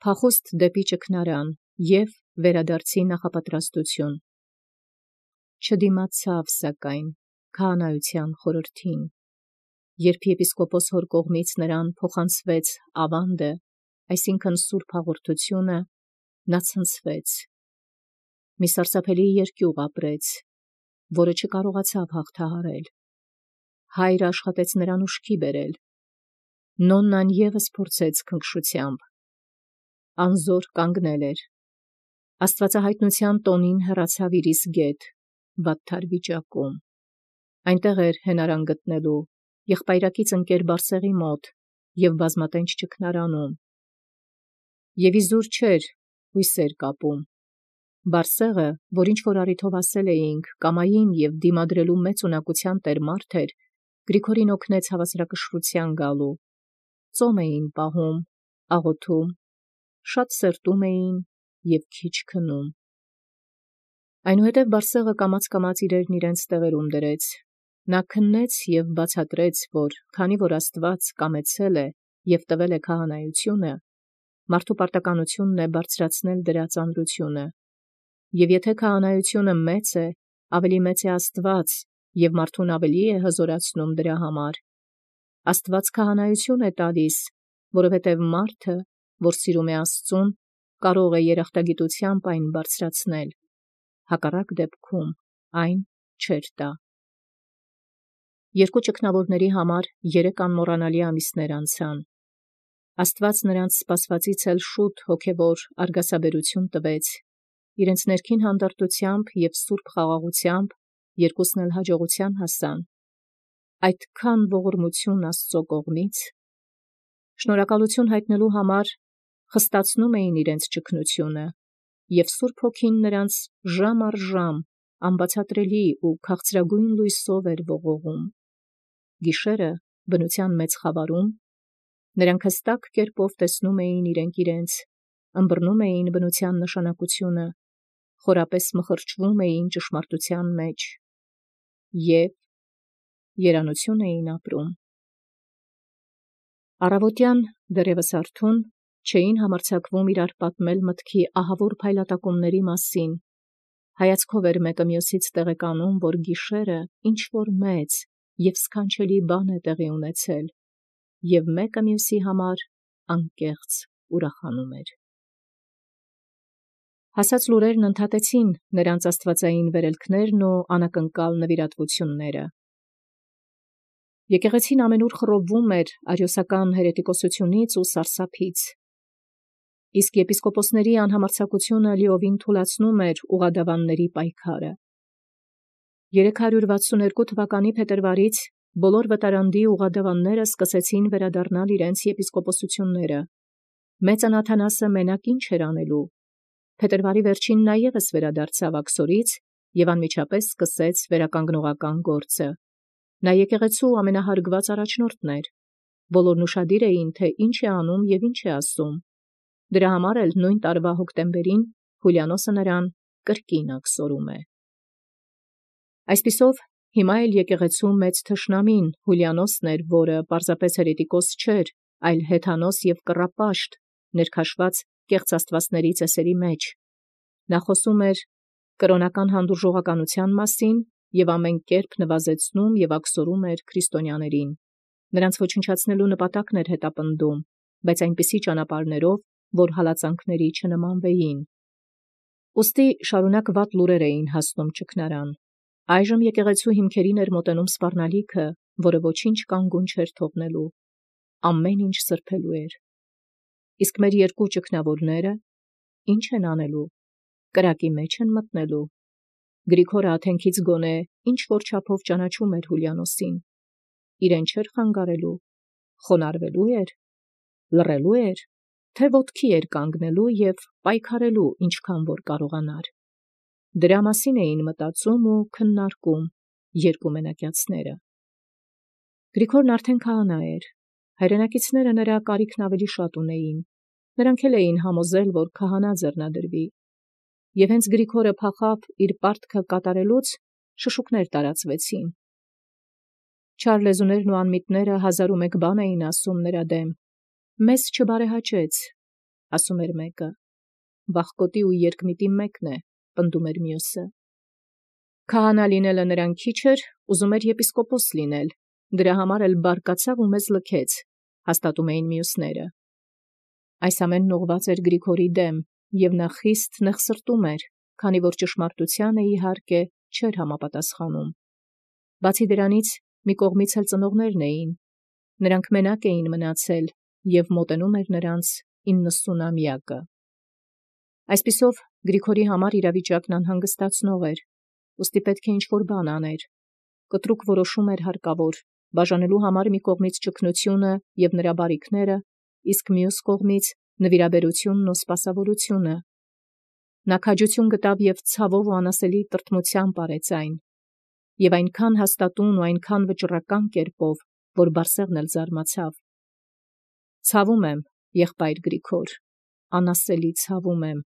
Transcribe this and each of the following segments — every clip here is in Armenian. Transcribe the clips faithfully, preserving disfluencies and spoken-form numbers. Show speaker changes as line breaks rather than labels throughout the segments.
փախուստ դեպի ճգնարան և վերադարձի նախապատրաստություն։ Չդիմացավ սակայն քահանայության խորհրդին, երբ եպիսկոպոս հոր կողմից նրան փոխանցվեց ավանդը, այսինքն սուրբ հաղորդությունը, նա ցնցվեց, մի սարսափելի երկյուղ ապրեց, որը չկարողացավ հաղթահարել։ Հայրը աշխատեց նրան ուշքի բերել, նոննան ևս փորձեց քնքշությամբ, անզոր կանգնել էր, աստվածահայտնության տոնին հեռացավ իր իսկ գետ, վատթար վիճակում, այնտեղ էր հենարան գտնելու, եղբայրակից ընկեր Բարսեղի մոտ և բազմատենչ ճգնարանում, և իզուր չէր հույսեր կապում։ Բարսեղը, որ ինչ-որ առիթով ասել էինք, կամային և դիմադրելու մեծ ունակության տեր մարդ էր, Գրիգորին օգնեց հավասարակշռության գալու, ծոմ էին պահում, աղոթում, շատ սրտում էին և քիչ քնում։ Այնուհետև Բարսեղը կամաց-կամաց իրերն իրենց տեղերում դրեց, նա քննեց և բացատրեց, որ քանի որ Աստված կամեցել է և տվել է քահանայությունը, մարդու պարտականությունն է բարձրացնել դրա ծանրությունը, և եթե քահանայությունը մեծ է, ավելի մեծ է Աստված, և մարդուն ավելի է հզորացնում դրա համար։ Աստված քահանայություն է տալիս, որովհետև մարդը, որ սիրում է Աստծուն, կարող է երախտագիտությամբ այն բարձրացնել, հակառակ դեպքում այն չէր տա։ Երկու ճգնավորների համար երեք անմոռանալի ամիսներ անցան։ Աստված նրանց սպասվածից էլ շուտ հոգևոր արգասաբերություն տվեց, իրենց ներքին հանդարտությամբ և սուրբ խաղաղությամբ երկուսն էլ հաջողության հասան։ Այդքան ողորմություն Աստծո կողմից։ Շնորհակալություն հայտնելու համար խստացնում էին իրենց ճգնությունը, և Սուրբ Հոգին նրանց ժամ առ ժամ անբացատրելի ու քաղցրագույն լույսով էր ողողում։ Գիշերը բնության մեծ խավարում նրանք հստակ կերպով տեսնում էին իրենք իրենց, ըմբռնում էին բնության նշանակությունը, խորապես մխրճվում էին ճշմարտության մեջ և երանություն էին ապրում։ Առավոտյան դեռևս արթուն չէին համարձակվում իրար պատմել մտքի ահավոր փայլատակումների մասին, հայացքով էր մեկը մյուսից տեղեկանում, որ գիշերը ինչ-որ մեծ և սքանչելի բան է տեղի ունեցել, և մեկը մյուսի համար անկեղծ ուրախանում էր։ Հասած լուրերն ընդհատեցին նրանց աստվածային վերելքներն ու անակնկալ նվիրատվությունները։ Եկեղեցին ամենուր խռովվում էր արիոսական հերետիկոսությունից ու սարսափից, իսկ եպիսկոպոսների անհամարձակությունը լիովին թուլացնում էր ուղադավանների պայքարը։ երեք հարյուր վաթսունհերկու թվականի փետրվարից բոլոր վտարանդի ուղադավանները սկսեցին վերադառնալ իրենց եպիսկոպոսությունները։ Մեծն Աթանասը մենակ ինչ էր անելու։ Փետրվարի վերջին նա ևս վերադարձավ աքսորից և անմիջապես սկսեց վերականգնողական գործը։ Նա եկեղեցու ամենահարգված առաջնորդն էր։ Բոլորն ուշադիր էին, թե ինչ է անում և ինչ է ասում։ Դրա համար էլ նույն տարվա հոկտեմբերին Հուլիանոսը նրան կրկին աքսորում է։ Այսպիսով, հիմա էլ եկեղեցու մեծ թշնամին Հուլիանոսն էր, որը պարզապես հերետիկոս չէր, այլ հեթանոս և կռապաշտ, ներքաշված կեղծ աստվածների ծեսերի մեջ։ Նա խոսում էր կրոնական հանդուրժողականության մասին և ամեն կերպ նվազեցնում և աքսորում էր քրիստոնյաներին։ Նրանց ոչնչացնելու նպատակն էր հետապնդում, բայց այնպիսի ճանապարհներով, որ հալածանքների չնմանվեին։ Ուստի շարունակ վատ լուրեր էին հասնում ճգնարան։ Այժմ եկեղեցու հիմքերին էր մոտենում սպառնալիքը, որը ոչինչ կանգուն չէր թողնելու։ Ամեն ինչ սրբելու էր։ Իսկ մեր երկու ճգնավորները ի՞նչ են անելու։ Կրակի մեջ են մտնելու։ Գրիգորը աթենքից գոնե ինչ-որ չափով ճանաչում էր Հուլիանոսին։ Իրեն չէր խանգարելու, խոնարհվելու էր, լռելու էր, թե ոտքի էր կանգնելու և պայքարելու ինչքան որ կարողանար։ Դրա մասին էին մտածում ու քննարկում երկու մենակյացները։ Գրիգորն արդեն քահանա էր։ Հայրենակիցները նրա կարիքն ավելի շատ ունեին։ Նրանք էլ էին համոզել, որ քահանա ձեռնադրվի։ Եվ հենց Գրիգորը փախավ իր պարտքը կատարելուց, շշուկներ տարածվեցին։ Չար լեզուներն ու անմիտները հազար ու մեկ բան էին ասում նրա դեմ։ Մեզ չբարեհաճեց, ասում էր մեկը, վախկոտի ու երկմիտի մեկն է, պնդում էր մյուսը։ Քահանա լինելը նրան քիչ էր, ուզում էր եպիսկոպոս լինել, դրա համար էլ բարկացավ ու մեզ լքեց, հաստատում էին մյուսները։ Այս ամենն ուղղված էր Գրիգորի դեմ, և նա խիստ նեղսրտում էր, քանի որ ճշմարտությանը իհարկե չէր համապատասխանում։ Բացի դրանից, մի կողմից էլ ծնողներն էին, նրանք մենակ էին մնացել, և մոտենում էր նրանց իննսունամյակը։ Այսպիսով Գրիգորի համար իրավիճակն անհանգստացնող էր, ուստի պետք է ինչ-որ բան աներ։ Կտրուկ որոշում էր հարկավոր, բաժանելու համար մի կողմից ճգնությունը և նրա բարիքները, իսկ մյուս կողմից նվիրաբերությունն ու սպասավորությունը։ Նա քաջություն գտավ և ցավով ու անասելի տրտմությամբ արեց այն, և այնքան հաստատուն ու այնքան վճռական կերպով, որ Բարսեղն էլ զարմացավ։ Ցավում եմ, եղբայր Գրիգոր, անասելի ցավում եմ,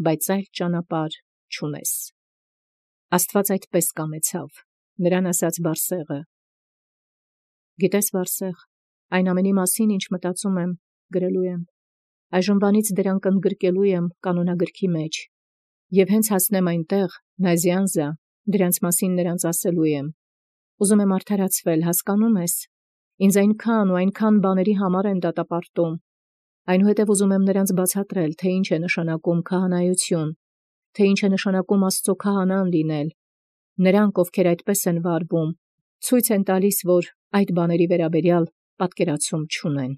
բայց այլ ճանապարհ չունես։ Աստված այդպես կամեցավ, նրան ասաց Բարսեղը։ Գիտես, Բարսեղ, այն ամենի մասին, ինչ մտածում եմ, գրելու եմ, այժմվանից դրանք ընդգրկելու եմ կանոնագրքի մեջ, և հենց հասնեմ այնտեղ, Նազյանզա, դրանց մասին նրանց ասելու եմ։ Ուզում եմ արդարացվել, հասկանում ես, ինձ այնքան ու այնքան բաների համար են դատապարտում, այնուհետև ուզում եմ նրանց բացատրել, թե ինչ է նշանակում քահանայություն, թե ինչ է նշանակում Աստծո քահանան լինել։ Նրանք, ովքեր այդպես են վարվում, ցույց են տալիս, որ այդ բաների վերաբերյալ պատկերացում չունեն։